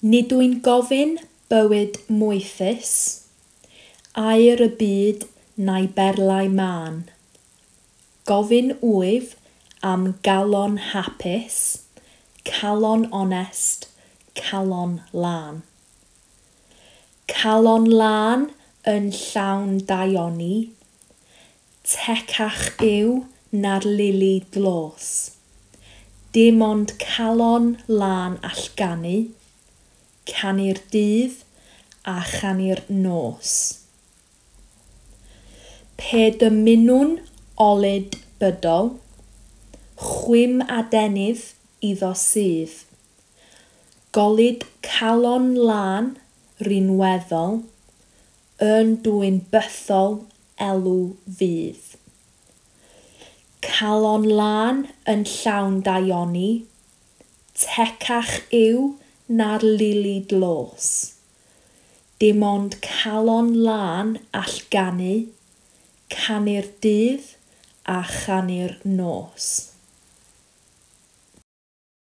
Nid wy'n gofyn bywyd moethus, aur y byd na'i berlau mân. Gofyn wyf am galon hapus, calon onest, calon lân. Calon lân yn llawn daioni, tecach yw na'r lili dlos. Dim ond calon lân all ganu, canu'r dydd a chanu'r nos. Pe dymunwn olud bydol, chwim adenydd iddo sydd. Golud calon lân rinweddol, yn dwyn bythol elw fydd. Calon lân yn llawn daioni, tecach yw na'r lili dlos. Dim ond calon lân all ganu, canu'r dydd a chanu'r nos.